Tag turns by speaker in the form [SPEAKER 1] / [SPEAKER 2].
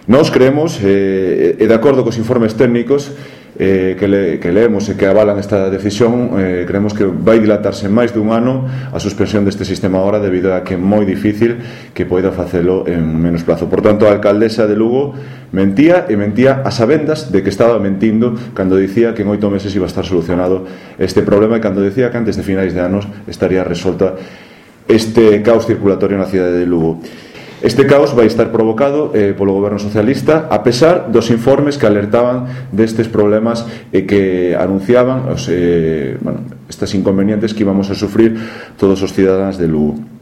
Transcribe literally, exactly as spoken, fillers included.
[SPEAKER 1] Nós creemos, eh, e de acordo cos informes técnicos eh, que, le, que leemos e que avalan esta decisión, eh, creemos que vai dilatarse máis dun ano a suspensión deste sistema ahora, debido a que é moi difícil que poida facelo en menos plazo. Por tanto, a alcaldesa de Lugo mentía e mentía a sabendas de que estaba mentindo cando dicía que en oito meses iba a estar solucionado este problema, e cando decía que antes de finais de anos estaría resolta este caos circulatorio na cidade de Lugo. Este caos vai estar provocado eh, polo goberno socialista, a pesar dos informes que alertaban destes problemas e que anunciaban os, eh, bueno, estas inconvenientes que íbamos a sufrir todos os cidadáns de Lugo.